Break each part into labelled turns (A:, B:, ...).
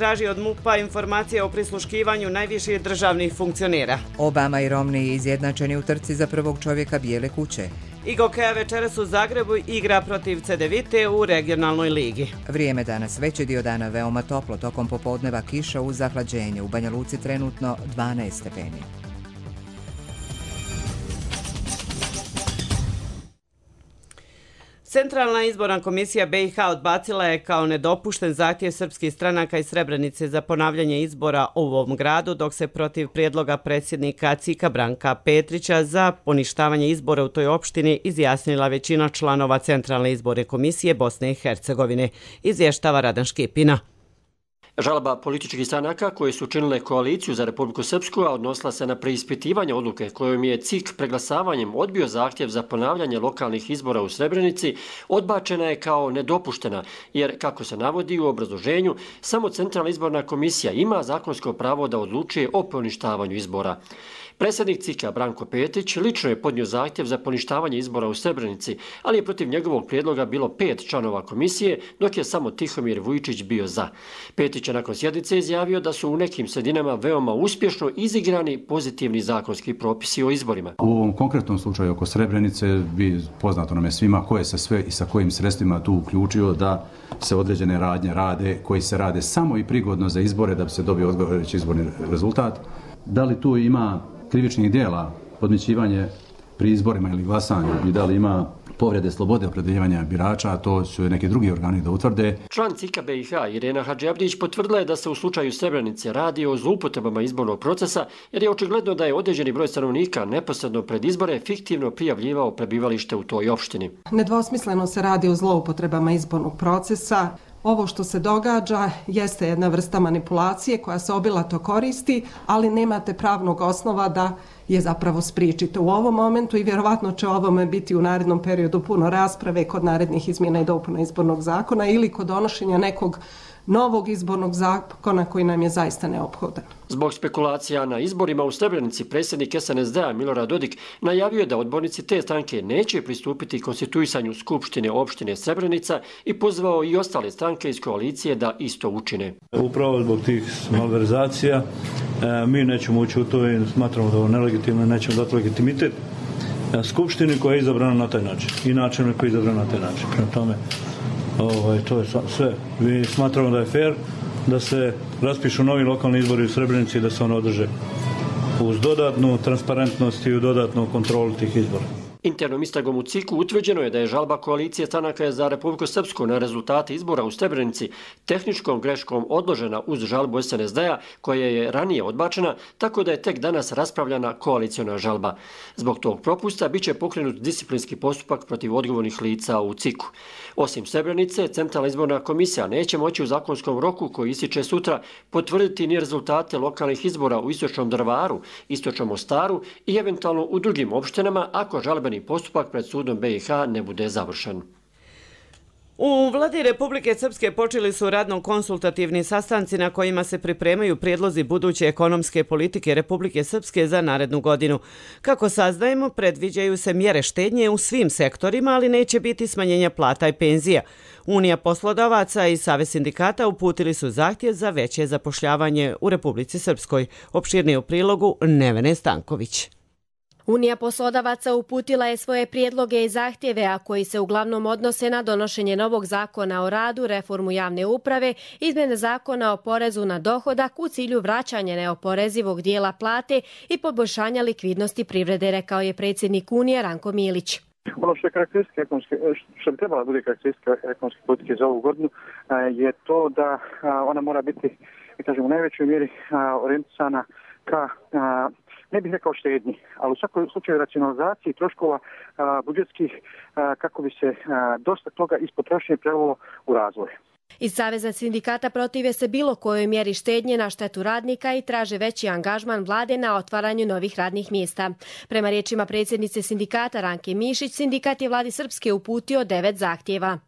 A: traži od MUP-a informacije o prisluškivanju najviših državnih funkcionera.
B: Obama i Romney izjednačeni u trci za prvog čovjeka Bijele kuće.
A: Igokeja večeras u Zagrebu igra protiv CDVite u regionalnoj ligi.
B: Vrijeme danas, veći dio dana veoma toplo, tokom popodneva kiša uz zahlađenje. U Banja Luci trenutno 12 stepeni.
A: Centralna izborna komisija BiH odbacila je kao nedopušten zahtjev srpskih stranaka iz Srebrenice za ponavljanje izbora u ovom gradu, dok se protiv prijedloga predsjednika CIK-a Branka Petrića za poništavanje izbora u toj opštini izjasnila većina članova Centralne izborne komisije Bosne i Hercegovine, izvještava Radan Škipina.
C: Žalba političkih stranaka koje su činile koaliciju za Republiku Srpsku, a odnosila se na preispitivanje odluke kojom je CIK preglasavanjem odbio zahtjev za ponavljanje lokalnih izbora u Srebrenici, odbačena je kao nedopuštena, jer, kako se navodi u obrazloženju, samo Centralna izborna komisija ima zakonsko pravo da odlučuje o poništavanju izbora. Predsjednik CIK-a Branko Petrić lično je podnio zahtjev za poništavanje izbora u Srebrenici, ali je protiv njegovog prijedloga bilo 5 članova komisije, dok je samo Tihomir Vujčić bio za. Petrić je nakon sjednice izjavio da su u nekim sredinama veoma uspješno izigrani pozitivni zakonski propisi o izborima.
D: U ovom konkretnom slučaju oko Srebrenice bi poznato nam je svima ko je se sve i sa kojim sredstvima tu uključio da se određene radnje rade, koji se rade samo i prigodno za izbore da bi se dobio odgovarajući izborni rezultat. Da li tu ima krivičnih dijela, podmićivanje pri izborima ili glasanju i da li ima povrede slobode opredjeljivanja birača, to su neki drugi organi da utvrde.
C: Član CIK-a BiH Irena Hadžiabdić potvrdila je da se u slučaju Srebrenice radi o zloupotrebama izbornog procesa, jer je očigledno da je određeni broj stanovnika neposredno pred izbore fiktivno prijavljivao prebivalište u toj opštini.
E: Nedvosmisleno se radi o zloupotrebama izbornog procesa. Ovo što se događa jeste jedna vrsta manipulacije koja se obilato koristi, ali nemate pravnog osnova da je zapravo spriječite u ovom momentu i vjerovatno će o ovome biti u narednom periodu puno rasprave kod narednih izmjena i dopuna izbornog zakona ili kod donošenja nekog novog izbornog zakona koji nam je zaista neophodan.
C: Zbog spekulacija na izborima u Srebrenici, predsjednik SNSD-a Milorad Dodik najavio je da odbornici te stranke neće pristupiti konstituisanju Skupštine opštine Srebrenica i pozvao i ostale stranke iz koalicije da isto učine.
F: Upravo zbog tih malverzacija mi nećemo ući u to i smatramo da ovo nelegitimno, nećemo dati legitimitet Skupštini koja je izabrana na taj način i načinu koji je izabran na taj način. Prema tome, to je sve. Mi smatramo da je fair da se raspišu novi lokalni izbori u Srebrenici i da se one održe uz dodatnu transparentnost i u dodatnu kontrolu tih izbora.
C: Internom istragom u CIK-u utvrđeno je da je žalba koalicije stranaka za Republiku Srpsku na rezultate izbora u Srebrenici tehničkom greškom odložena uz žalbu SNSD-a koja je ranije odbačena, tako da je tek danas raspravljana koaliciona žalba. Zbog tog propusta biće pokrenut disciplinski postupak protiv odgovornih lica u CIK-u. Osim Srebrenice, Centralna izborna komisija neće moći u zakonskom roku koji ističe sutra potvrditi ni rezultate lokalnih izbora u Istočnom Drvaru, Istočnom Mostaru i eventualno u drugim opštinama ako žalbeni postupak pred sudom BiH ne bude završen.
A: U vladi Republike Srpske počeli su radno-konsultativni sastanci na kojima se pripremaju prijedlozi buduće ekonomske politike Republike Srpske za narednu godinu. Kako saznajemo, predviđaju se mjere štednje u svim sektorima, ali neće biti smanjenja plata i penzija. Unija poslodavaca i Savez sindikata uputili su zahtjev za veće zapošljavanje u Republici Srpskoj. Opširnije u prilogu Nevene Stanković.
G: Unija poslodavaca uputila je svoje prijedloge i zahtjeve, a koji se uglavnom odnose na donošenje novog zakona o radu, reformu javne uprave, izmjene zakona o porezu na dohodak u cilju vraćanja neoporezivog dijela plate i poboljšanja likvidnosti privrede, rekao je predsjednik Unije Ranko Milić.
H: Ono što je karakteristika što bi trebala bude karakteristika ekonomske politike za ovu godinu je to da ona mora biti, kažem, u najvećoj mjeri orijentisana ka ne bih rekao štednji, ali u svakom slučaju racionalizaciji troškova budžetskih kako bi se dosta toga iz potrošnje prelilo u razvoj.
G: Iz Saveza sindikata protive se bilo kojoj mjeri štednje na štetu radnika i traže veći angažman vlade na otvaranju novih radnih mjesta. Prema riječima predsjednice sindikata Ranke Mišić, sindikat je vladi Srpske uputio 9 zahtjeva.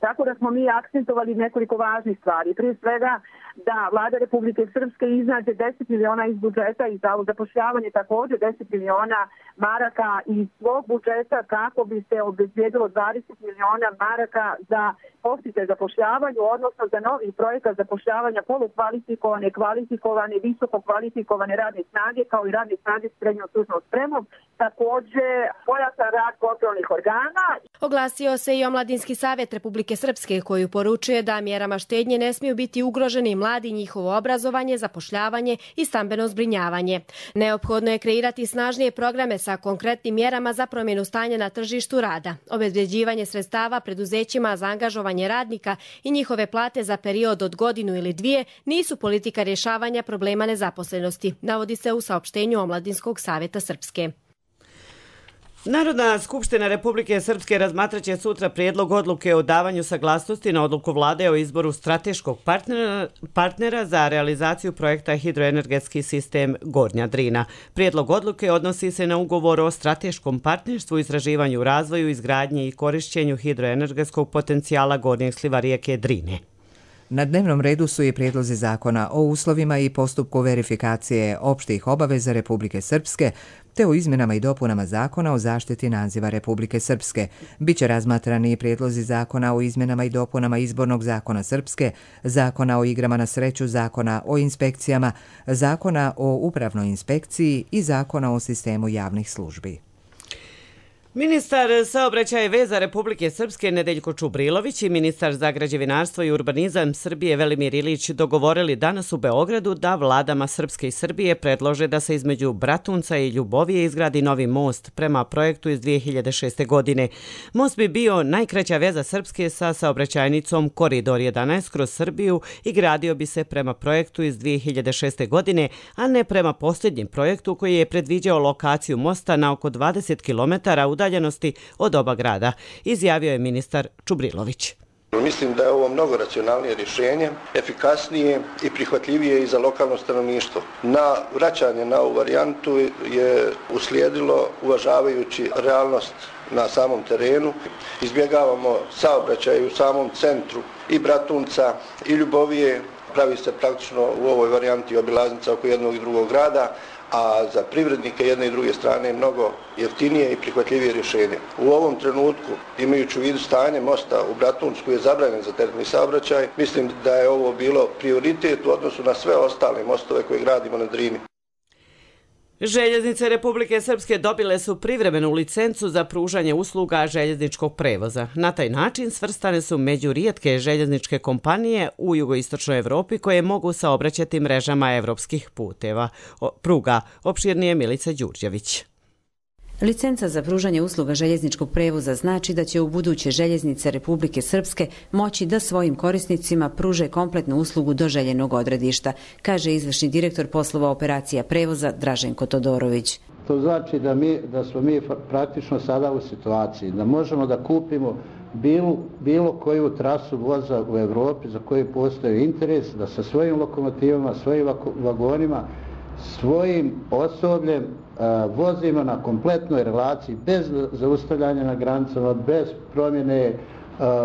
I: Tako da smo mi akcentovali nekoliko važnih stvari. Prije svega da Vlada Republike Srpske iznađe 10 miliona iz budžeta i za zapošljavanje također 10 miliona maraka iz svog budžeta kako bi se obezbijedilo 20 miliona maraka za podsticaj zapošljavanju, odnosno za novi projekat zapošljavanja polukvalifikovane, kvalifikovane, visoko kvalifikovane radne snage kao i radne snage s srednjom stručnom spremom. Također pojačan rad kontrolnih organa.
G: Oglasio se i Omladinski savjet Republike Srpske koji poručuje da mjerama štednje ne smiju biti ugroženi mladi, njihovo obrazovanje, zapošljavanje i stambeno zbrinjavanje. Neophodno je kreirati snažnije programe sa konkretnim mjerama za promjenu stanja na tržištu rada, obezbeđivanje sredstava preduzećima za angažovanje radnika i njihove plate za period od godinu ili dvije nisu politika rješavanja problema nezaposlenosti, navodi se u saopštenju Omladinskog savjeta Srpske.
A: Narodna skupština Republike Srpske razmatraće sutra prijedlog odluke o davanju saglasnosti na odluku vlade o izboru strateškog partnera za realizaciju projekta hidroenergetski sistem Gornja Drina. Prijedlog odluke odnosi se na ugovor o strateškom partnerstvu, istraživanju, razvoju, izgradnji i korišćenju hidroenergetskog potencijala gornjeg sliva rijeke Drine.
B: Na dnevnom redu su i prijedlozi zakona o uslovima i postupku verifikacije opštih obaveza Republike Srpske, te o izmjenama i dopunama zakona o zaštiti naziva Republike Srpske. Biće razmatrani i prijedlozi zakona o izmjenama i dopunama izbornog zakona Srpske, zakona o igrama na sreću, zakona o inspekcijama, zakona o upravnoj inspekciji i zakona o sistemu javnih službi.
A: Ministar saobraćaja i veza Republike Srpske Nedeljko Čubrilović i ministar za građevinarstvo i urbanizam Srbije Velimir Ilić dogovorili danas u Beogradu da vladama Srpske i Srbije predlože da se između Bratunca i Ljubovije izgradi novi most prema projektu iz 2006. godine. Most bi bio najkraća veza Srpske sa saobraćajnicom Koridor 11 kroz Srbiju i gradio bi se prema projektu iz 2006. godine, a ne prema posljednjem projektu koji je predviđao lokaciju mosta na oko 20 km udaljenosti od oba grada, izjavio je ministar Čubrilović.
J: Mislim da je ovo mnogo racionalnije rješenje, efikasnije i prihvatljivije i za lokalno stanovništvo. Na vraćanje na ovu varijantu je uslijedilo, uvažavajući realnost na samom terenu. Izbjegavamo saobraćaj u samom centru i Bratunca i Ljubovije. Pravi se praktično u ovoj varijanti obilaznica oko jednog i drugog grada, a za privrednike jedne i druge strane je mnogo jeftinije i prihvatljivije rješenje. U ovom trenutku, imajući u vidu stanje mosta u Bratunsku je zabranjen za teretni saobraćaj, mislim da je ovo bilo prioritet u odnosu na sve ostale mostove koje gradimo na Drini.
A: Željeznice Republike Srpske dobile su privremenu licencu za pružanje usluga željezničkog prevoza. Na taj način svrstane su među rijetke željezničke kompanije u jugoistočnoj Evropi koje mogu saobraćati mrežama evropskih pruga. Opširnije Milica Đurđević.
K: Licenca za pružanje usluga željezničkog prevoza znači da će u buduće željeznice Republike Srpske moći da svojim korisnicima pruže kompletnu uslugu do željenog odredišta, kaže izvršni direktor poslova operacija prevoza Draženko Todorović.
L: To znači da smo mi praktično sada u situaciji da možemo da kupimo bilo koju trasu voza u Evropi za koju postoji interes, da sa svojim lokomotivama, svojim vagonima, svojim osobljem vozimo na kompletnoj relaciji bez zaustavljanja na granicama, bez promjene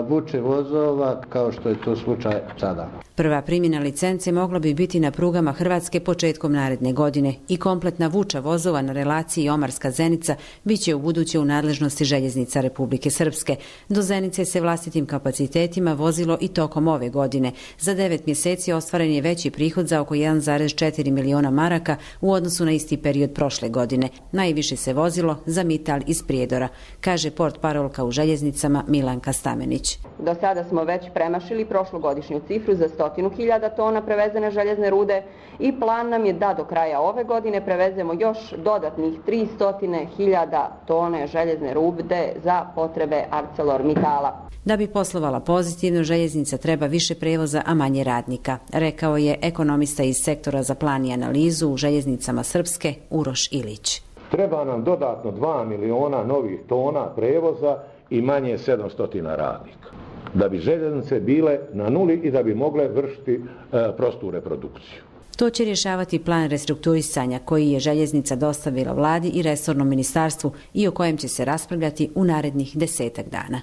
L: vuče vozova kao što je to slučaj sada.
K: Prva primjena licence mogla bi biti na prugama Hrvatske početkom naredne godine i kompletna vuča vozova na relaciji Omarska-Zenica biće u buduće u nadležnosti željeznica Republike Srpske. Do Zenice se vlastitim kapacitetima vozilo i tokom ove godine. Za 9 mjeseci ostvaren je veći prihod za oko 1,4 miliona maraka u odnosu na isti period prošle godine. Najviše se vozilo za Mital iz Prijedora, kaže portparolka u željeznicama Milanka Stamenić.
M: Do sada smo već premašili prošlogodišnju cifru za 100.000 tona prevezene željezne rude i plan nam je da do kraja ove godine prevezemo još dodatnih 300.000 tone željezne rude za potrebe ArcelorMittala.
K: Da bi poslovala pozitivno, željeznica treba više prevoza, a manje radnika, rekao je ekonomista iz sektora za plan i analizu u željeznicama Srpske Uroš Ilić.
N: Treba nam dodatno 2 miliona novih tona prevoza i manje 700 radnika, da bi željeznice bile na nuli i da bi mogle vršiti prostu reprodukciju.
K: To će rješavati plan restrukturisanja koji je željeznica dostavila vladi i resornom ministarstvu i o kojem će se raspravljati u narednih 10 dana.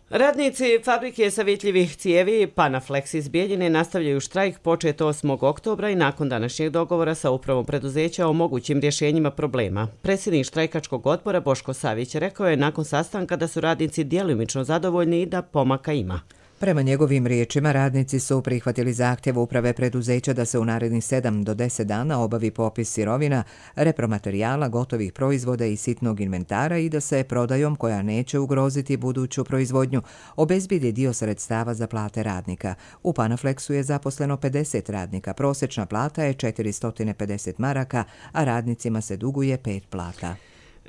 A: Radnici fabrike savjetljivih cijevi Panaflex iz Bijeljine nastavljaju štrajk počet 8. oktobra i nakon današnjeg dogovora sa upravom preduzeća o mogućim rješenjima problema. Predsjednik štrajkačkog odbora Boško Savić rekao je nakon sastanka da su radnici djelomično zadovoljni i da pomaka ima.
B: Prema njegovim riječima, radnici su prihvatili zahtjev uprave preduzeća da se u narednih 7 do 10 dana obavi popis sirovina, repromaterijala, gotovih proizvoda i sitnog inventara i da se prodajom, koja neće ugroziti buduću proizvodnju, obezbijedi dio sredstava za plate radnika. U Panaflexu je zaposleno 50 radnika, prosječna plata je 450 maraka, a radnicima se duguje 5 plata.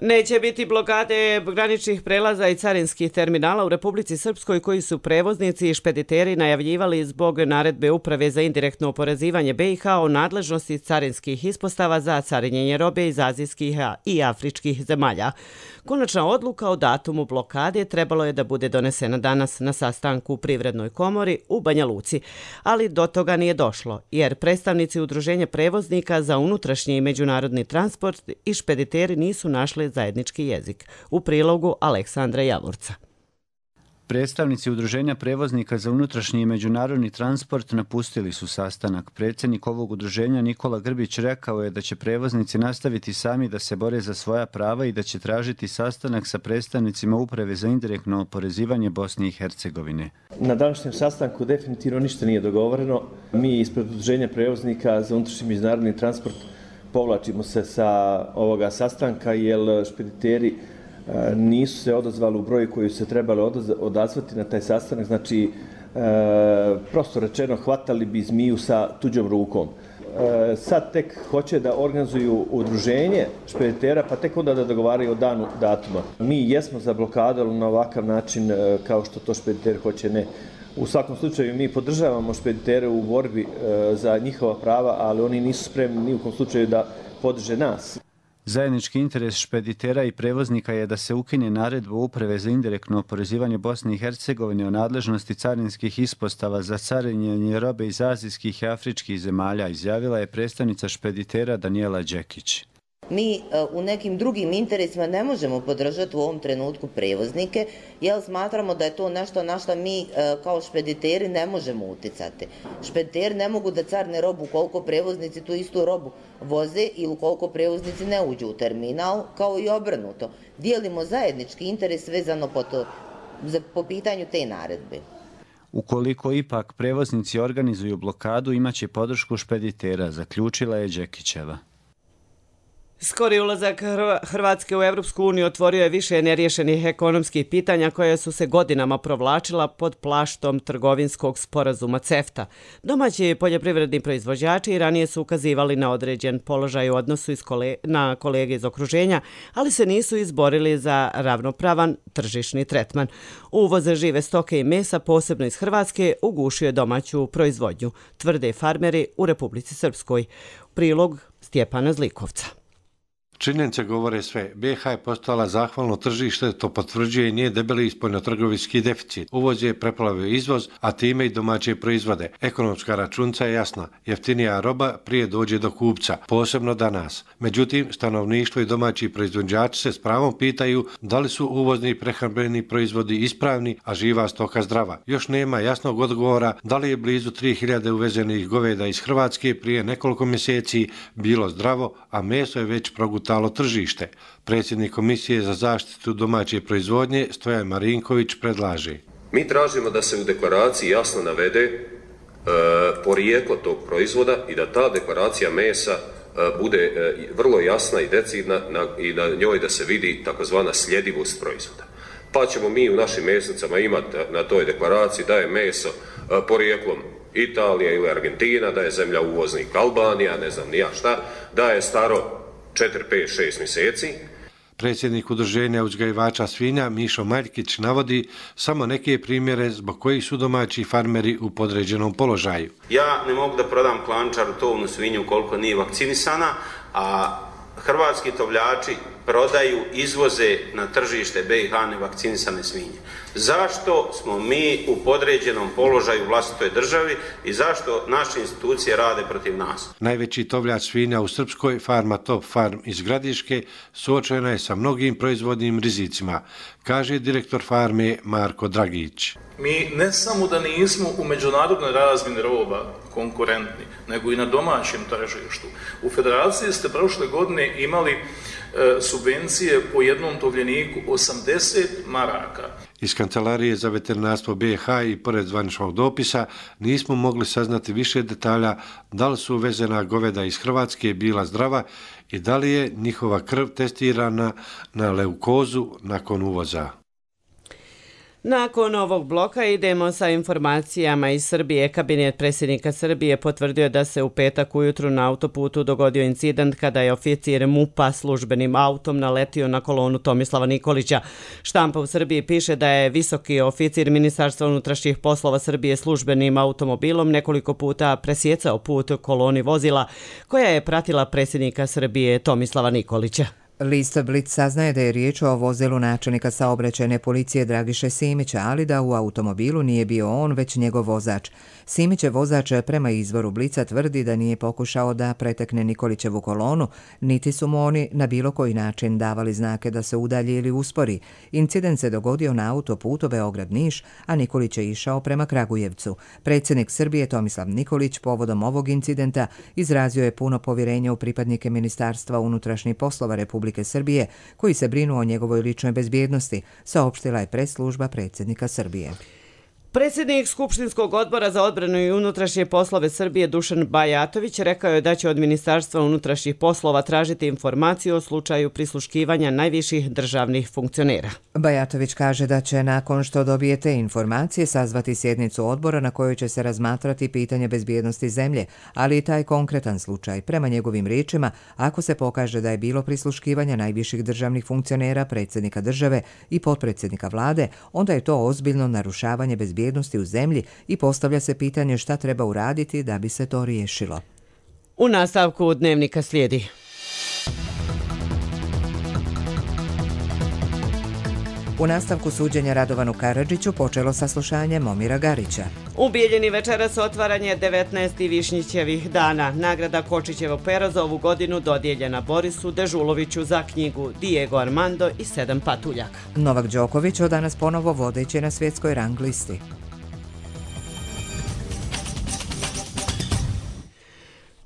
A: Neće biti blokade graničnih prelaza i carinskih terminala u Republici Srpskoj koji su prevoznici i špediteri najavljivali zbog naredbe Uprave za indirektno oporezivanje BiH o nadležnosti carinskih ispostava za carinjenje robe iz azijskih i afričkih zemalja. Konačna odluka o datumu blokade trebalo je da bude donesena danas na sastanku u Privrednoj komori u Banja Luci, ali do toga nije došlo, jer predstavnici Udruženja prevoznika za unutrašnji i međunarodni transport i špediteri nisu našli zajednički jezik. U prilogu Aleksandra Javorca.
O: Predstavnici Udruženja prevoznika za unutrašnji i međunarodni transport napustili su sastanak. Predsjednik ovog udruženja Nikola Grbić rekao je da će prevoznici nastaviti sami da se bore za svoja prava i da će tražiti sastanak sa predstavnicima Uprave za indirektno oporezivanje Bosne i Hercegovine.
P: Na današnjem sastanku definitivno ništa nije dogovoreno. Mi ispred Udruženja prevoznika za unutrašnji i međunarodni transport povlačimo se sa ovoga sastanka jer špediteri nisu se odazvali u broju koji se trebali odazvati na taj sastanak, znači prosto rečeno hvatali bi zmiju sa tuđom rukom. Sad tek hoće da organizuju udruženje špeditera, pa tek onda da dogovaraju o danu datuma. Mi jesmo za blokadu, ali na ovakav način kao što to špediter hoće ne. U svakom slučaju mi podržavamo špeditere u borbi za njihova prava, ali oni nisu spremni ni u kom slučaju da podrže nas.
O: Zajednički interes špeditera i prevoznika je da se ukine naredba Uprave za indirektno oporezivanje Bosne i Hercegovine o nadležnosti carinskih ispostava za carinjenje robe iz azijskih i afričkih zemalja, izjavila je predstavnica špeditera Danijela Đekić.
Q: Mi u nekim drugim interesima ne možemo podržati u ovom trenutku prevoznike, jer smatramo da je to nešto na što mi kao špediteri ne možemo uticati. Špediteri ne mogu da carne robu koliko prevoznici tu istu robu voze ili koliko prevoznici ne uđu u terminal, kao i obrnuto. Dijelimo zajednički interes vezano po pitanju te naredbe.
O: Ukoliko ipak prevoznici organizuju blokadu, imaće podršku špeditera, zaključila je Đekićeva.
A: Skori ulazak Hrvatske u Evropsku uniju otvorio je više neriješenih ekonomskih pitanja koja su se godinama provlačila pod plaštom trgovinskog sporazuma CEFTA. Domaći poljoprivredni proizvođači ranije su ukazivali na određen položaj u odnosu na kolege iz okruženja, ali se nisu izborili za ravnopravan tržišni tretman. Uvoz žive stoke i mesa, posebno iz Hrvatske, ugušio je domaću proizvodnju, tvrde farmeri u Republici Srpskoj. Prilog Stjepana Zlikovca.
R: Činjenice govore sve. BiH je postala zahvalno tržište, to potvrđuje i nije debeli spoljnotrgovinski deficit. Uvoz je preplavio izvoz, a time i domaće proizvode. Ekonomska računica je jasna. Jeftinija roba prije dođe do kupca, posebno danas. Međutim, stanovništvo i domaći proizvođači se s pravom pitaju da li su uvozni prehrambeni proizvodi ispravni, a živa stoka zdrava. Još nema jasnog odgovora da li je blizu 3000 uvezenih goveda iz Hrvatske prije nekoliko mjeseci bilo zdravo, a meso je već progutalo tržište. Predsjednik Komisije za zaštitu domaće proizvodnje Stojan Marinković predlaže.
S: Mi tražimo da se u deklaraciji jasno navede porijeklo tog proizvoda i da ta deklaracija mesa bude vrlo jasna i decidna i na njoj da se vidi takozvana sljedivost proizvoda. Pa ćemo mi u našim mesnicama imati na toj deklaraciji da je meso porijeklom Italija ili Argentina, da je zemlja uvoznik Albanija, ne znam ni ja šta, da je staro 4, 5, 6 mjeseci.
R: Predsjednik udruženja uzgajivača svinja Mišo Maljkić navodi samo neke primjere zbog kojih su domaći farmeri u podređenom položaju.
T: Ja ne mogu da prodam klančaru tovnu svinju koliko nije vakcinisana, a hrvatski tovljači prodaju, izvoze na tržište BiH nevakcinisane svinje. Zašto smo mi u podređenom položaju u vlastitoj državi i zašto naše institucije rade protiv nas?
R: Najveći tovljač svinja u Srpskoj, farma Top Farm iz Gradiške, suočena je sa mnogim proizvodnim rizicima, kaže direktor farme Marko Dragić.
U: Mi ne samo da nismo u međunarodnoj razmjeni roba konkurentni, nego i na domaćem tržištu. U federaciji ste prošle godine imali subvencije po jednom tovljeniku 80 maraka.
R: Iz Kancelarije za veterinarstvo BiH i pored zvaničnog dopisa nismo mogli saznati više detalja da li su uvezena goveda iz Hrvatske bila zdrava i da li je njihova krv testirana na leukozu nakon uvoza.
A: Nakon ovog bloka idemo sa informacijama iz Srbije. Kabinet predsjednika Srbije potvrdio da se u petak ujutru na autoputu dogodio incident kada je oficir MUP-a službenim autom naletio na kolonu Tomislava Nikolića. Štampa u Srbiji piše da je visoki oficir Ministarstva unutrašnjih poslova Srbije službenim automobilom nekoliko puta presjecao put koloni vozila koja je pratila predsjednika Srbije Tomislava Nikolića.
B: List Blic saznaje da je riječ o vozilu načelnika saobraćajne policije Dragiše Simića, ali da u automobilu nije bio on, već njegov vozač. Simićev vozač prema izvoru Blica tvrdi da nije pokušao da pretekne Nikolićevu kolonu, niti su mu oni na bilo koji način davali znake da se udalji ili uspori. Incident se dogodio na autoputu Beograd-Niš, a Nikolić je išao prema Kragujevcu. Predsjednik Srbije Tomislav Nikolić povodom ovog incidenta izrazio je puno povjerenja u pripadnike Ministarstva unutrašnjih poslova Republike Srbije, koji se brinu o njegovoj ličnoj bezbjednosti, saopštila je press-služba predsjednika Srbije.
A: Predsjednik Skupštinskog odbora za odbranu i unutrašnje poslove Srbije Dušan Bajatović rekao je da će od Ministarstva unutrašnjih poslova tražiti informaciju o slučaju prisluškivanja najviših državnih funkcionera.
B: Bajatović kaže da će nakon što dobije te informacije sazvati sjednicu odbora na kojoj će se razmatrati pitanje bezbjednosti zemlje, ali i taj konkretan slučaj. Prema njegovim riječima, ako se pokaže da je bilo prisluškivanja najviših državnih funkcionera, predsjednika države i potpredsjednika vlade, onda je to ozbiljno narušavanje bezbjednosti u zemlji i postavlja se pitanje šta treba uraditi da bi se to riješilo.
A: U nastavku dnevnika slijedi.
B: U nastavku suđenja Radovanu Karadžiću počelo saslušanje Momira Garića.
A: U Bijeljini večeras otvaranje 19. Višnjićevih dana. Nagrada Kočićevo pero za ovu godinu dodijeljena Borisu Dežuloviću za knjigu Diego Armando i 7 patuljaka.
B: Novak Đoković od danas ponovo vodeći na svjetskoj rang listi.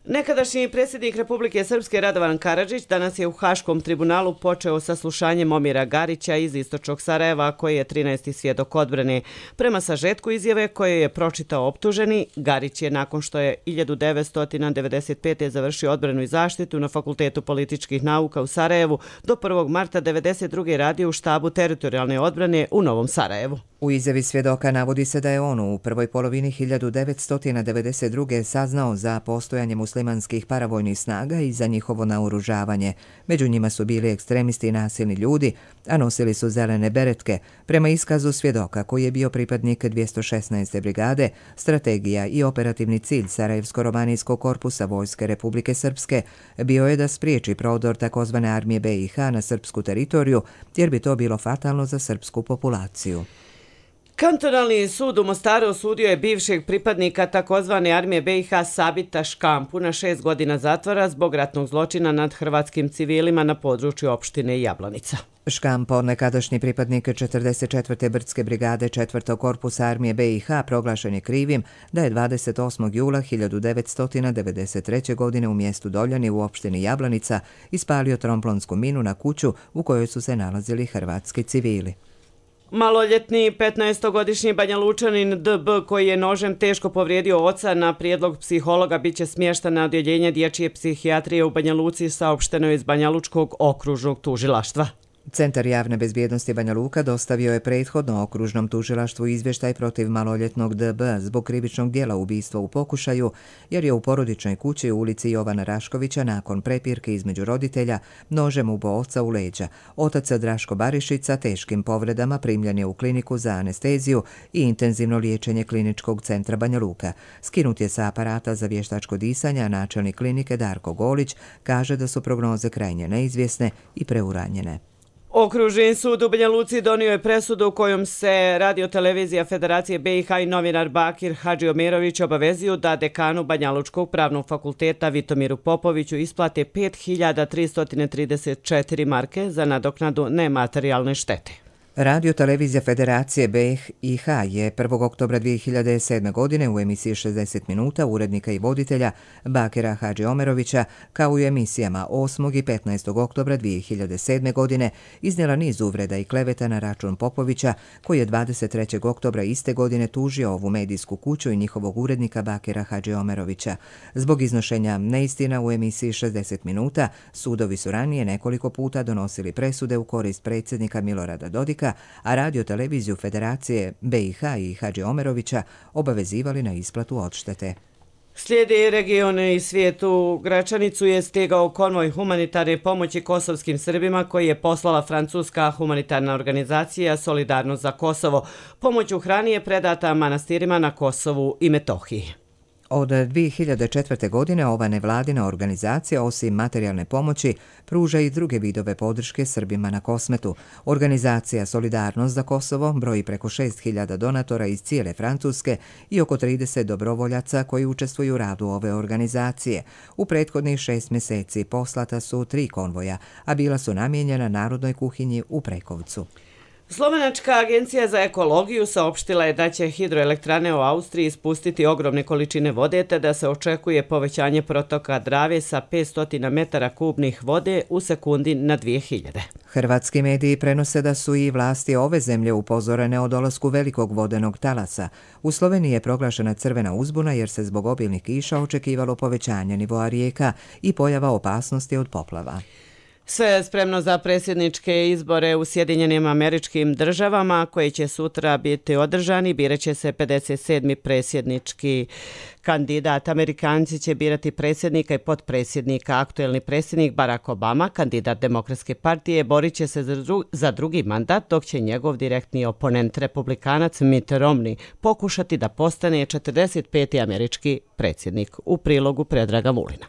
A: Nekadašnji predsjednik Republike Srpske Radovan Karadžić danas je u Haškom tribunalu počeo saslušanje Momira Garića iz istočnog Sarajeva, koji je 13. svjedok odbrane. Prema sažetku izjave koje je pročitao optuženi, Garić je nakon što je 1995. završio odbranu i zaštitu na Fakultetu političkih nauka u Sarajevu, do 1. marta 1992. radio u štabu teritorijalne odbrane u Novom Sarajevu.
B: U izjavi svjedoka navodi se da je on u prvoj polovini 1992. saznao za postojanje muslimanskih paravojnih snaga i za njihovo naoružavanje. Među njima su bili ekstremisti i nasilni ljudi, a nosili su zelene beretke. Prema iskazu svjedoka, koji je bio pripadnik 216. brigade, strategija i operativni cilj Sarajevsko-romanijskog korpusa Vojske Republike Srpske bio je da spriječi prodor takozvane armije BiH na srpsku teritoriju, jer bi to bilo fatalno za srpsku populaciju.
A: Kantonalni sud u Mostaru osudio je bivšeg pripadnika takozvane armije BiH Sabita Škampu na 6 godina zatvora zbog ratnog zločina nad hrvatskim civilima na području opštine Jablanica.
B: Škampo, nekadašnji pripadnik 44. brdske brigade 4. korpusa armije BiH, proglašen je krivim da je 28. jula 1993. godine u mjestu Doljani u opštini Jablanica ispalio tromplonsku minu na kuću u kojoj su se nalazili hrvatski civili.
A: Maloljetni 15-godišnji Banjalučanin DB, koji je nožem teško povrijedio oca, na prijedlog psihologa biće smješten na odjeljenje dječje psihijatrije u Banja Luci, saopšteno iz Banjalučkog okružnog tužilaštva.
B: Centar javne bezbjednosti Banja Luka dostavio je prethodno okružnom tužilaštvu izvještaj protiv maloljetnog DB zbog krivičnog dijela ubistva u pokušaju, jer je u porodičnoj kući u ulici Jovana Raškovića nakon prepirke između roditelja nožem ubao oca u leđa. Otac Draško Barišić sa teškim povredama primljen je u kliniku za anesteziju i intenzivno liječenje Kliničkog centra Banja Luka. Skinut je sa aparata za vještačko disanje, a načelnik klinike Darko Golić kaže da su prognoze krajnje neizvjesne i preuranjene.
A: Okružni sud u Banja Luci donio je presudu kojom se Radio-televizija Federacije BiH i novinar Bakir Hadžiomerović obavezuju da dekanu Banjalučkog pravnog fakulteta Vitomiru Popoviću isplate 5.334 marke za nadoknadu nematerijalne štete.
B: Radio-televizija Federacije BiH je 1. oktobra 2007. godine u emisiji 60 minuta urednika i voditelja Bakira Hadžiomerovića, kao i u emisijama 8. i 15. oktobra 2007. godine iznijela niz uvreda i kleveta na račun Popovića, koji je 23. oktobra iste godine tužio ovu medijsku kuću i njihovog urednika Bakira Hadžiomerovića. Zbog iznošenja neistina u emisiji 60 minuta, sudovi su ranije nekoliko puta donosili presude u korist predsjednika Milorada Dodika, a Radio-televiziju Federacije BiH i Hadžiomerovića obavezivali na isplatu odštete.
A: Slijedi regione i svijetu. U Gračanicu je stigao konvoj humanitarne pomoći kosovskim Srbima koji je poslala francuska humanitarna organizacija Solidarnost za Kosovo. Pomoć u hrani je predata manastirima na Kosovu i Metohiji.
B: Od 2004. godine ova nevladina organizacija osim materijalne pomoći pruža i druge vidove podrške Srbima na Kosmetu. Organizacija Solidarnost za Kosovo broji preko 6.000 donatora iz cijele Francuske i oko 30 dobrovoljaca koji učestvuju u radu ove organizacije. U prethodnih 6 mjeseci poslata su 3 konvoja, a bila su namijenjena narodnoj kuhinji u Prekovcu.
A: Slovenačka agencija za ekologiju saopštila je da će hidroelektrane u Austriji ispustiti ogromne količine vode, te da se očekuje povećanje protoka Drave sa 500 metara kubnih vode u sekundi na 2000.
B: Hrvatski mediji prenose da su i vlasti ove zemlje upozorene o dolasku velikog vodenog talasa. U Sloveniji je proglašena crvena uzbuna jer se zbog obilnih kiša očekivalo povećanje nivoa rijeka i pojava opasnosti od poplava.
A: Sve je spremno za predsjedničke izbore u Sjedinjenim Američkim Državama koji će sutra biti održani. Biraće se 57. predsjednički kandidat. Amerikanci će birati predsjednika i potpredsjednika. Aktuelni predsjednik Barack Obama, kandidat Demokratske partije, borit će se za drugi mandat, dok će njegov direktni oponent, republikanac Mitt Romney, pokušati da postane 45. američki predsjednik. U prilogu Predraga Vulina.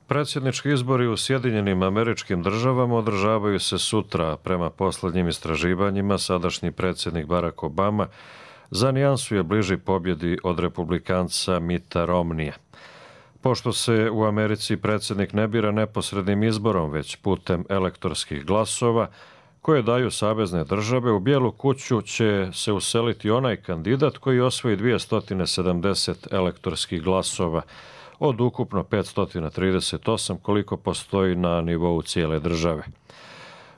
D: Predsjednički izbori u Sjedinjenim Američkim Državama održavaju se sutra. Prema posljednjim istraživanjima, sadašnji predsjednik Barack Obama za nijansu je bliži pobjedi od republikanca Mitta Romneya. Pošto se u Americi predsjednik ne bira neposrednim izborom, već putem elektorskih glasova, koje daju savezne države, u Bijelu kuću će se useliti onaj kandidat koji osvoji 270 elektorskih glasova, od ukupno 538 koliko postoji na nivou cijele države.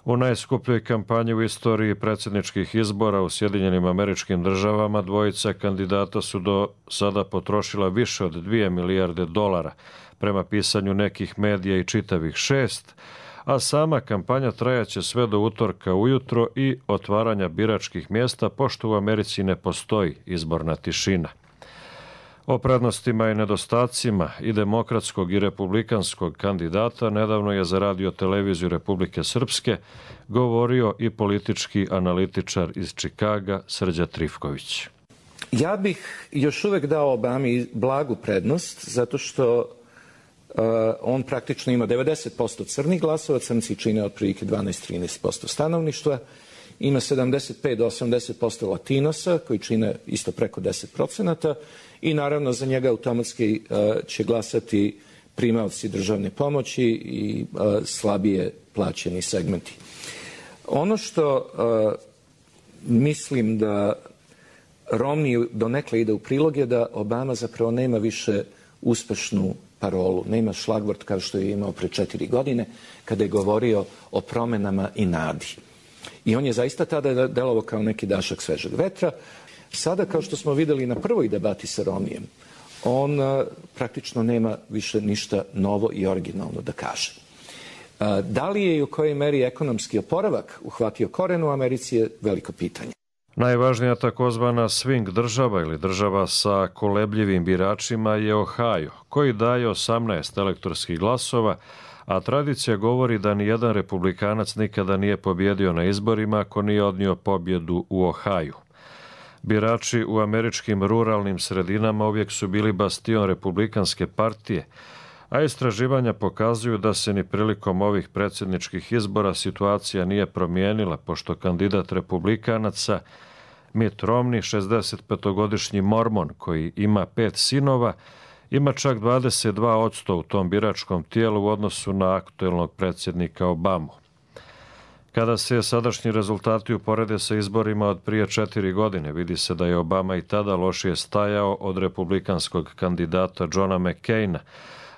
D: U najskupljoj kampanji u istoriji predsjedničkih izbora u Sjedinjenim Američkim Državama dvojica kandidata su do sada potrošila više od $2 milijarde, prema pisanju nekih medija i čitavih 6, a sama kampanja trajaće sve do utorka ujutro i otvaranja biračkih mjesta, pošto u Americi ne postoji izborna tišina. O prednostima i nedostacima i demokratskog i republikanskog kandidata nedavno je za Radio-televiziju Republike Srpske govorio i politički analitičar iz Čikaga Srđa Trifković.
V: Ja bih još uvijek dao Obami blagu prednost, zato što on praktično ima 90% crnih glasova, crnci čine otprilike 12-13% stanovništva, ima 75 do 80% latinosa koji čine isto preko 10%, i naravno za njega automatski će glasati primaoci državne pomoći i slabije plaćeni segmenti. Ono što mislim da Romney donekle ide u prilog je da Obama zapravo nema više uspešnu parolu, nema šlagvort kao što je imao pre 4 godine kada je govorio o promenama i nadi. I on je zaista tada delovao kao neki dašak svežeg vetra. Sada, kao što smo vidjeli na prvoj debati sa Romnijem, on praktično nema više ništa novo i originalno da kaže. Da li je i u kojoj meri ekonomski oporavak uhvatio koren u Americi je veliko pitanje.
D: Najvažnija takozvana swing država ili država sa kolebljivim biračima je Ohio, koji daje 18 elektorskih glasova, a tradicija govori da nijedan republikanac nikada nije pobjedio na izborima ako nije odnio pobjedu u Ohaju. Birači u američkim ruralnim sredinama uvijek su bili bastion republikanske partije, a istraživanja pokazuju da se ni prilikom ovih predsjedničkih izbora situacija nije promijenila, pošto kandidat republikanaca Mitt Romney, 65-godišnji mormon koji ima 5 sinova, ima čak 22% u tom biračkom tijelu u odnosu na aktuelnog predsjednika Obamu. Kada se sadašnji rezultati uporede sa izborima od prije 4 godine, vidi se da je Obama i tada lošije stajao od republikanskog kandidata Johna McCaina,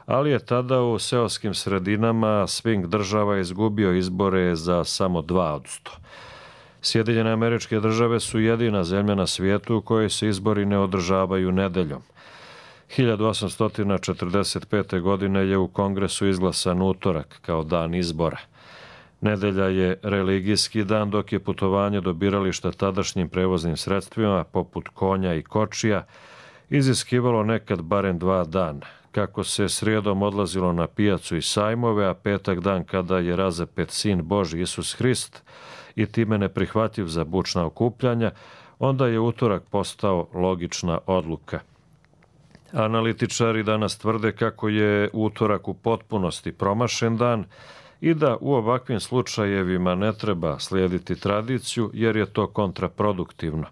D: ali je tada u seoskim sredinama swing država izgubio izbore za samo 2%. Sjedinjene Američke Države su jedina zemlja na svijetu u kojoj se izbori ne održavaju nedeljom. 1845. godine je u Kongresu izglasan utorak kao dan izbora. Nedelja je religijski dan, dok je putovanje do birališta tadašnjim prevoznim sredstvima, poput konja i kočija, iziskivalo nekad barem 2 dana. Kako se srijedom odlazilo na pijacu i sajmove, a petak dan kada je razapet sin Božji Isus Hrist i time neprihvatljiv za bučna okupljanja, onda je utorak postao logična odluka. Analitičari danas tvrde kako je utorak u potpunosti promašen dan i da u ovakvim slučajevima ne treba slijediti tradiciju jer je to kontraproduktivno.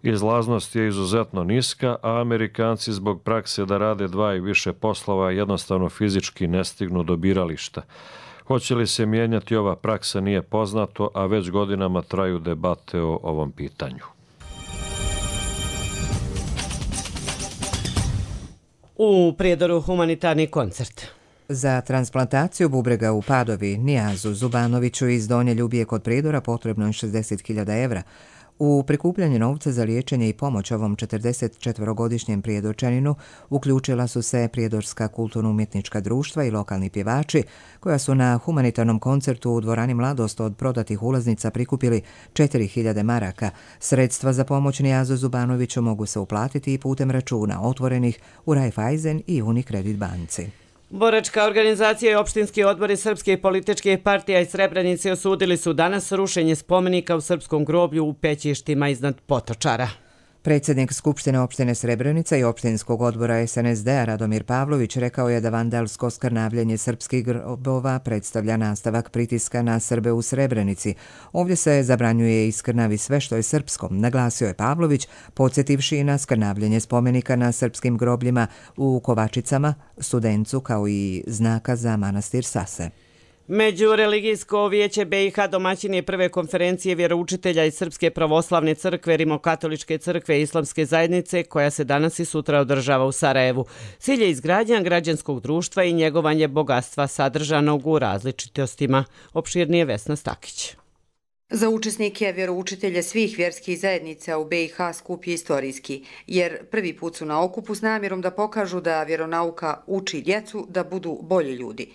D: Izlaznost je izuzetno niska, a Amerikanci zbog prakse da rade 2 i više poslova jednostavno fizički ne stignu do birališta. Hoće li se mijenjati ova praksa nije poznato, a već godinama traju debate o ovom pitanju.
A: U Prijedoru humanitarni koncert.
B: Za transplantaciju bubrega u Padovi Nijazu Zubanoviću iz Donje Ljubije kod Prijedora potrebno je 60.000 evra. U prikupljanju novca za liječenje i pomoć ovom 44-godišnjem prijedorčaninu uključila su se prijedorska kulturno-umjetnička društva i lokalni pjevači, koja su na humanitarnom koncertu u dvorani Mladost od prodatih ulaznica prikupili 4.000 maraka. Sredstva za pomoć Nijazu Zubanoviću mogu se uplatiti i putem računa otvorenih u Raiffeisen i Unicredit banci.
A: Boračka organizacija i opštinski odbori srpske političke partija iz Srebrenice osudili su danas rušenje spomenika u srpskom groblju u Pećištima iznad Potočara.
B: Predsjednik Skupštine opštine Srebrenica i opštinskog odbora SNSD-a Radomir Pavlović rekao je da vandalsko skrnavljenje srpskih grobova predstavlja nastavak pritiska na Srbe u Srebrenici. Ovdje se zabranjuje i skrnavi sve što je srpsko, naglasio je Pavlović, podsjetivši i na skrnavljenje spomenika na srpskim grobljima u Kovačicama, Studencu kao i znaka za manastir Sase.
A: Međureligijsko vijeće BiH domaćin je prve konferencije vjeroučitelja iz Srpske pravoslavne crkve, Rimokatoličke crkve i Islamske zajednice, koja se danas i sutra održava u Sarajevu. Cilj je izgradnja građanskog društva i njegovanje bogatstva sadržanog u različitostima. Opširnije Vesna Stakić.
E: Za učesnike vjeroučitelje svih vjerskih zajednica u BiH skup je istorijski, jer prvi put su na okupu s namjerom da pokažu da vjeronauka uči djecu da budu bolji ljudi.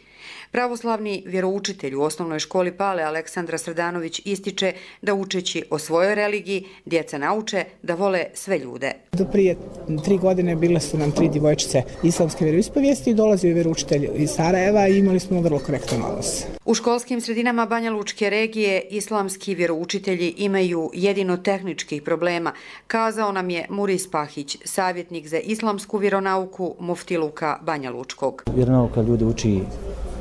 E: Pravoslavni vjeroučitelj u osnovnoj školi Pale Aleksandra Srdanović ističe da učeći o svojoj religiji, djeca nauče da vole sve ljude.
F: Do prije 3 godine bile su nam 3 djevojčice islamske vjeroispovijesti i dolazio je vjeroučitelj iz Sarajeva i imali smo vrlo korektan odnos.
E: U školskim sredinama Banja Lučke regije islamski vjeroučitelji imaju jedino tehničkih problema, kazao nam je Muris Pahić, savjetnik za islamsku vjeronauku Muftiluka Banja Lučkog.
W: Vjeronauka ljudi uči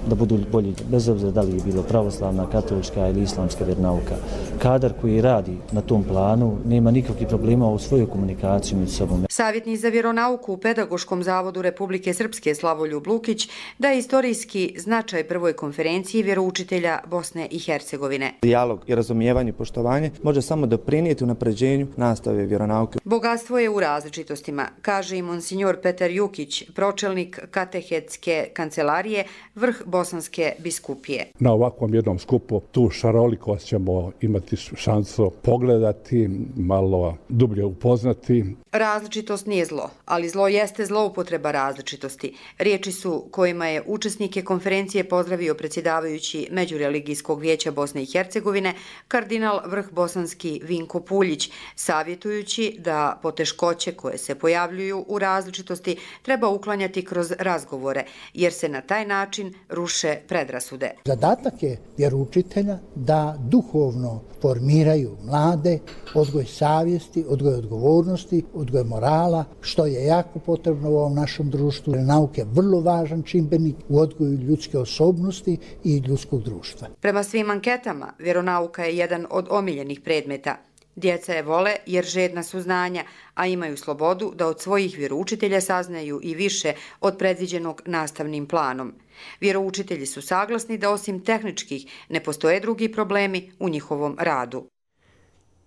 W: da budu bolji, bez obzira da li je bilo pravoslavna, katolička ili islamska vjeronauka. Kadar koji radi na tom planu nema nikakvih problema u svojoj komunikaciji među sobom.
E: Savjetnik za vjeronauku u Pedagoškom zavodu Republike Srpske Slavoljub Lukić daje istorijski značaj prvoj konferenciji vjeroučitelja Bosne i Hercegovine.
X: Dijalog i razumijevanje i poštovanje može samo doprinijeti unapređenju nastave vjeronauke.
E: Bogatstvo je u različitostima, kaže i monsignor Petar Jukić, pročelnik katehetske kancelarije, vrh Bosanske biskupije.
Y: Na ovakvom jednom skupu tu šarolikost ćemo imati šansu pogledati, malo dublje upoznati.
E: Različitost nije zlo, ali zlo jeste zloupotreba različitosti. Riječi su kojima je učesnike konferencije pozdravio predsjedavajući Međureligijskog vijeća Bosne i Hercegovine, kardinal vrh bosanski Vinko Puljić, savjetujući da poteškoće koje se pojavljuju u različitosti treba uklanjati kroz razgovore, jer se na taj način ruše predrasude.
Z: Zadatak je vjeroučitelja da duhovno formiraju mlade, odgoj savjesti, odgoj odgovornosti, odgoj morala, morala, što je jako potrebno u ovom našem društvu. Nauka je vrlo važan čimbenik u odgoju ljudske osobnosti i ljudskog društva.
E: Prema svim anketama, vjeronauka je jedan od omiljenih predmeta. Djeca je vole jer žedna su znanja, a imaju slobodu da od svojih vjeroučitelja saznaju i više od predviđenog nastavnim planom. Vjeroučitelji su saglasni da osim tehničkih ne postoje drugi problemi u njihovom radu.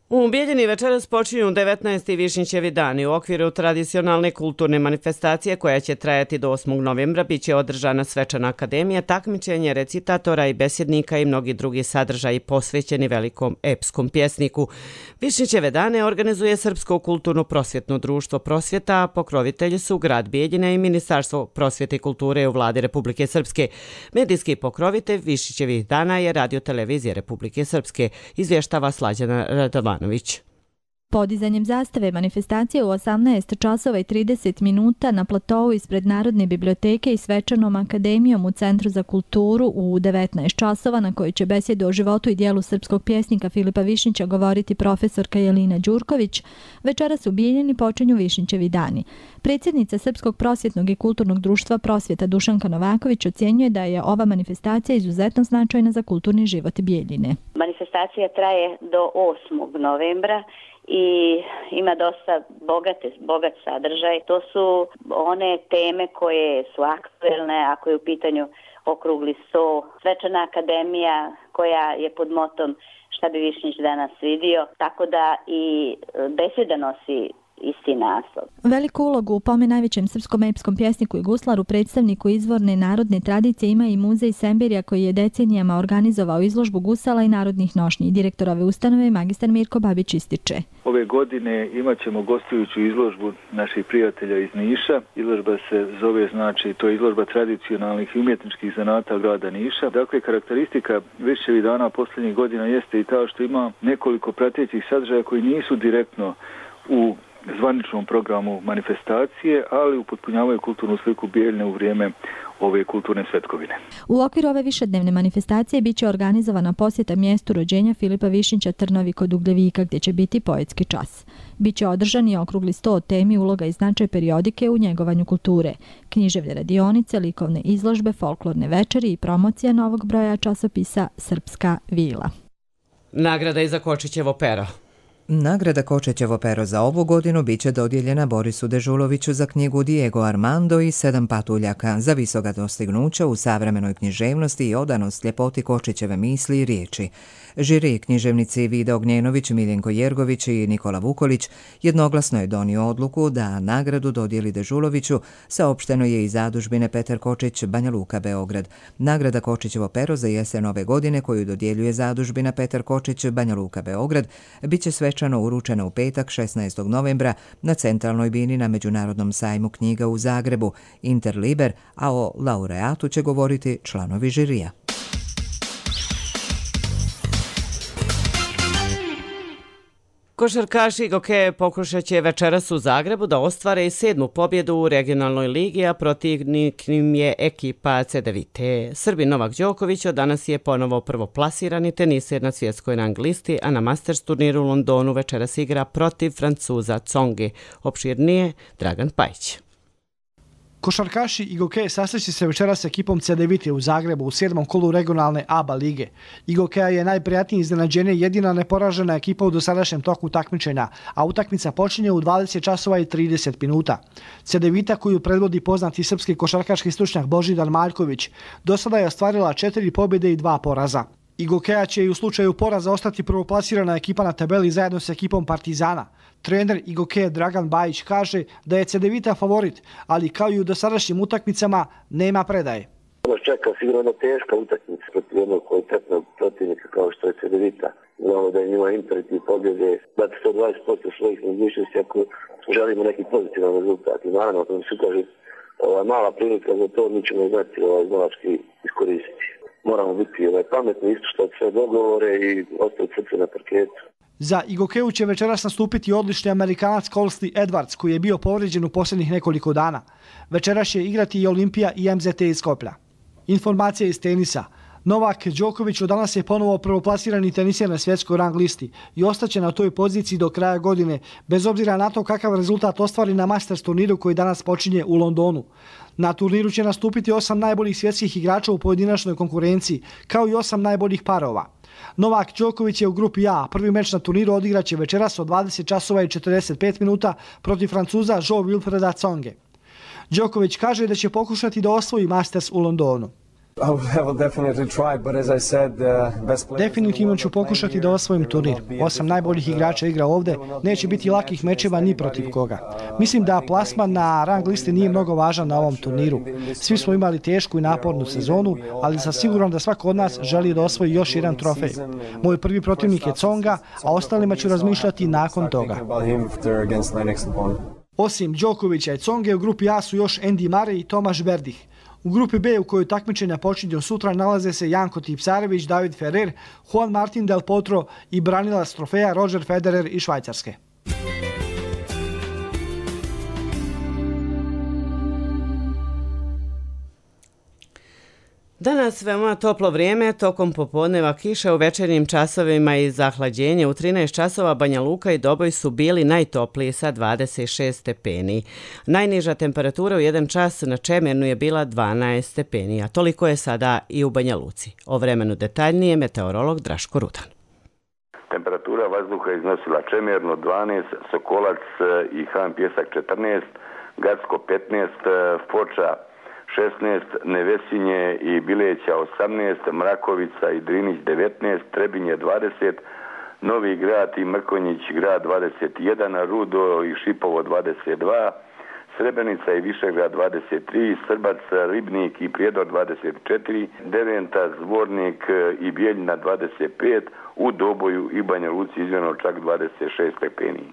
A: U Bijeljini večeras počinju 19. Višnjićevi dani. U okviru tradicionalne kulturne manifestacije koja će trajati do 8. novembra biće održana svečana akademija, takmičenje recitatora i besjednika i mnogi drugi sadržaji posvećeni velikom epskom pjesniku. Višnjićeve dane organizuje Srpsko kulturno prosvjetno društvo Prosvjeta, a pokrovitelji su grad Bijeljina i Ministarstvo prosvjete i kulture u vladi Republike Srpske. Medijski pokrovitelj Višnjićevih dana je Radio televizija Republike Srpske, izvještava Slađana Radovanović.
C: Podizanjem zastave manifestacije u 18 časova i 30 minuta na platovu ispred Narodne biblioteke i svečanom akademijom u Centru za kulturu u 19 časova na kojoj će besjedu o životu i dijelu srpskog pjesnika Filipa Višnjića govoriti profesorka Jelina Đurković, večeras u Bijeljini počinju Višnjićevi dani. Predsjednica Srpskog prosvjetnog i kulturnog društva Prosvjeta Dušanka Novaković ocjenjuje da je ova manifestacija izuzetno značajna za kulturni život Bijeljine.
G: Manifestacija traje do 8. novembra i ima dosta bogat sadržaj. To su one teme koje su aktuelne, ako je u pitanju okrugli sto, svečana akademija koja je pod motom šta bi Višnjić danas vidio, tako da i besjeda nosi isti naslov.
C: Veliku ulogu u pome najvećem srpskom epskom pjesniku i guslaru, predstavniku izvorne narodne tradicije, ima i muzej Semberija koji je decenijama organizovao izložbu gusala i narodnih nošnji. Direktor ove ustanove, magistar Mirko Babić, ističe.
H: Ove godine imat ćemo gostujuću izložbu naših prijatelja iz Niša. Izložba se zove, to je izložba tradicionalnih i umjetničkih zanata grada Niša. Dakle, karakteristika Višnjićevih dana posljednjih godina jeste i ta što ima nekoliko pratećih sadržaja koji nisu direktno u zvaničnom programu manifestacije, ali upotpunjavaju kulturnu sliku Bijeljine u vrijeme ove kulturne svetkovine.
C: U okviru ove višednevne manifestacije biće organizovana posjeta mjestu rođenja Filipa Višnjića Trnovi kod Ugljevika, gdje će biti poetski čas. Biće održan i okrugli sto o temi uloga i značaj periodike u njegovanju kulture, književne radionice, likovne izložbe, folklorne večeri i promocija novog broja časopisa Srpska vila.
A: Nagrada i za Kočićevo pero.
B: Nagrada Kočićevo pero za ovu godinu biće dodijeljena Borisu Dežuloviću za knjigu Diego Armando i 7 patuljaka za visoka dostignuća u savremenoj književnosti i odanost ljepoti Kočićeve misli i riječi. Žiri književnici Vida Ognjenović, Miljenko Jergović i Nikola Vukolić jednoglasno je donio odluku da nagradu dodijeli Dežuloviću, saopšteno je iz zadužbine Petar Kočić, Banja Luka, Beograd. Nagrada Kočićevo pero za jesen ove godine, koju dodjeljuje zadužbina Petar Kočić, Banja Luka, Beograd, biće svečano uručena u petak 16. novembra na centralnoj bini na Međunarodnom sajmu knjiga u Zagrebu, Interliber, a o laureatu će govoriti članovi žirija.
A: Košarkaši Igoke pokušat će večeras u Zagrebu da ostvare i 7. pobjedu u regionalnoj ligi, a protivnik im je ekipa Cedevite. Srbin Novak Đoković od danas je ponovo prvoplasirani teniser na svjetskoj rang listi, a na Masters turniru u Londonu večeras igra protiv Francuza Tsongi. Opširnije Dragan Pajić.
I: Košarkaši Igoke sasreći se večeras s ekipom Cedevite u Zagrebu u 7. kolu regionalne ABA lige. Igokeja je najprijatnije iznenađenje, jedina neporažena ekipa u dosadašnjem toku takmičenja, a utakmica počinje u 20 časova i 30 minuta. Cedevita, koju predvodi poznati srpski košarkaški stručnjak Božidar Maljković, do sada je ostvarila 4 pobjede i 2 poraza. Igokeja će i u slučaju poraza ostati prvoplasirana ekipa na tabeli zajedno s ekipom Partizana. Trener Igoke Dragan Bajić kaže da je Cedevita favorit, ali kao i u dosadašnjim utakmicama nema predaje.
J: Nas čeka sigurno jedna teška utakmica protiv jednog kvalitetnog protivnika kao što je Cedevita. Znamo da je njima imperativ pobjede dati 120% svojih mogućnosti ako želimo neki pozitivan rezultat. I naravno, to se kaže mala prilika za to, mi ćemo znati znalački iskoristiti. Moramo biti pametni, ispoštovati sve dogovore i ostaviti srce na parketu.
I: Za Igokeu će večeras nastupiti odlični Amerikanac Colsty Edwards, koji je bio povrijeđen u posljednjih nekoliko dana. Večeras će igrati i Olimpija i MZT iz Skoplja. Informacija iz tenisa. Novak Đoković od danas je ponovo prvoplasirani teniser na svjetskoj rang listi i ostaće na toj poziciji do kraja godine, bez obzira na to kakav rezultat ostvari na Masters turniru koji danas počinje u Londonu. Na turniru će nastupiti 8 najboljih svjetskih igrača u pojedinačnoj konkurenciji, kao i 8 najboljih parova. Novak Đoković je u grupi A. Prvi meč na turniru odigraće večeras od 20 časova i 45 minuta protiv Francuza Jo Wilfreda Tsonge. Đoković kaže da će pokušati da osvoji Masters u Londonu. Definitivno ću pokušati da osvojim turnir. 8 najboljih igrača igra ovde, neće biti lakih mečeva ni protiv koga. Mislim da plasman na rang listi nije mnogo važan na ovom turniru. Svi smo imali tešku i napornu sezonu, ali sam siguran da svako od nas želi da osvoji još jedan trofej. Moj prvi protivnik je Tsonga, a ostalima ću razmišljati nakon toga. Osim Đokovića i Tsonge, u grupi A su još Andy Murray i Tomaš Berdych. U grupi B, u kojoj takmičenja počinju sutra, nalaze se Janko Tipsarević, David Ferrer, Juan Martin Del Potro i branilac trofeja Roger Federer iz Švajcarske.
A: Danas veoma toplo vrijeme, tokom popodneva kiša, u večernjim časovima i zahlađenje. U 13 časova Banja Luka i Doboj su bili najtopliji sa 26 stepeni. Najniža temperatura u 1 čas na Čemernu je bila 12 stepeni, a toliko je sada i u Banja Luci. O vremenu detaljnije meteorolog Draško Rudan.
K: Temperatura vazduha iznosila Čemerno 12, Sokolac i Han Pjesak 14, Gacko 15, Foča 16, Nevesinje i Bileća 18, Mrakovica i Drinić 19, Trebinje 20, Novi Grad i Mrkonjić grad 21, Rudo i Šipovo 22, Srebrenica i Višegrad 23, Srbac, Ribnik i Prijedor 24, Deventa, Zvornik i Bijeljina 25, u Doboju i Banja Luci izmjereno čak 26 stepeni.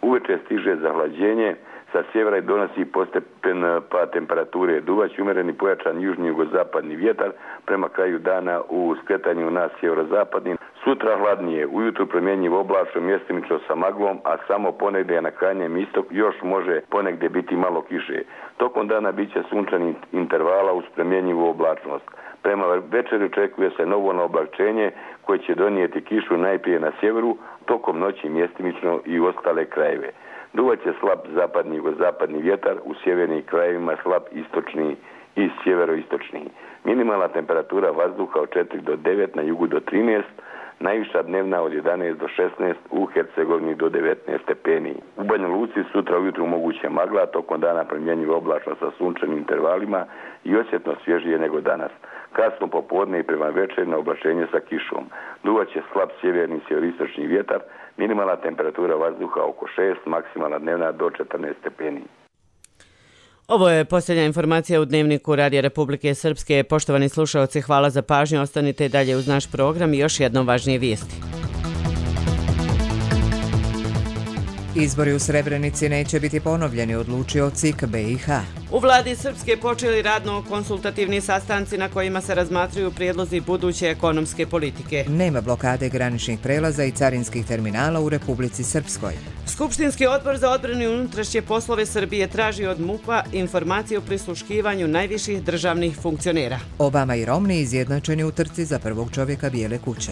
K: Uveče stiže zahlađenje, sa sjevera i donosi postepen pad temperature. Duvać umjereni pojačan južni jugozapadni vjetar prema kraju dana u skretanju na sjeverozapadni. Sutra hladnije, ujutru promjenjiv oblačno, mjestimično sa maglom, a samo ponegdje na krajnjem istok još može ponegdje biti malo kiše. Tokom dana bit će sunčanih intervala uz promjenjivu oblačnost. Prema večeri očekuje se novo naoblačenje koje će donijeti kišu najprije na sjeveru, tokom noći mjestimično i u ostale krajeve. Duvat će slab zapadni i jugozapadni vjetar, u sjevernim krajevima slab istočni i sjeveroistočni. Minimalna temperatura vazduha od 4 do 9, na jugu do 13, najviša dnevna od 11 do 16, u Hercegovini do 19 stepeni. U Banja Luci sutra ujutru moguće magla, tokom dana promjenjivo oblačno sa sunčanim intervalima i osjetno svježije nego danas. Kasno popodne i prema večeri na oblačenje sa kišom. Duvat će slab sjeverni i sjeveroistočni vjetar, minimalna temperatura vazduha oko 6, maksimalna dnevna do 14 stepeni.
A: Ovo je posljednja informacija u Dnevniku Radija Republike Srpske. Poštovani slušalci, hvala za pažnju. Ostanite i dalje uz naš program i još jednom važnije vijesti.
B: Izbori u Srebrenici neće biti ponovljeni, odlučio CIK BiH.
A: U vladi Srpske počeli radno-konsultativni sastanci na kojima se razmatraju prijedlozi buduće ekonomske politike.
B: Nema blokade graničnih prelaza i carinskih terminala u Republici Srpskoj.
A: Skupštinski odbor za odbranu i unutrašnje poslove Srbije traži od MUP-a informacije o prisluškivanju najviših državnih funkcionera.
B: Obama i Romney izjednačeni u trci za prvog čovjeka Bijele kuće.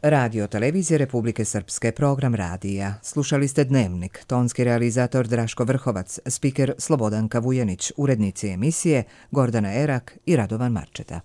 B: Radio Televizije Republike Srpske, program radija. Slušali ste Dnevnik, tonski realizator Draško Vrhovac, spiker Slobodanka Vujanić, urednici emisije Gordana Erak i Radovan Marčeta.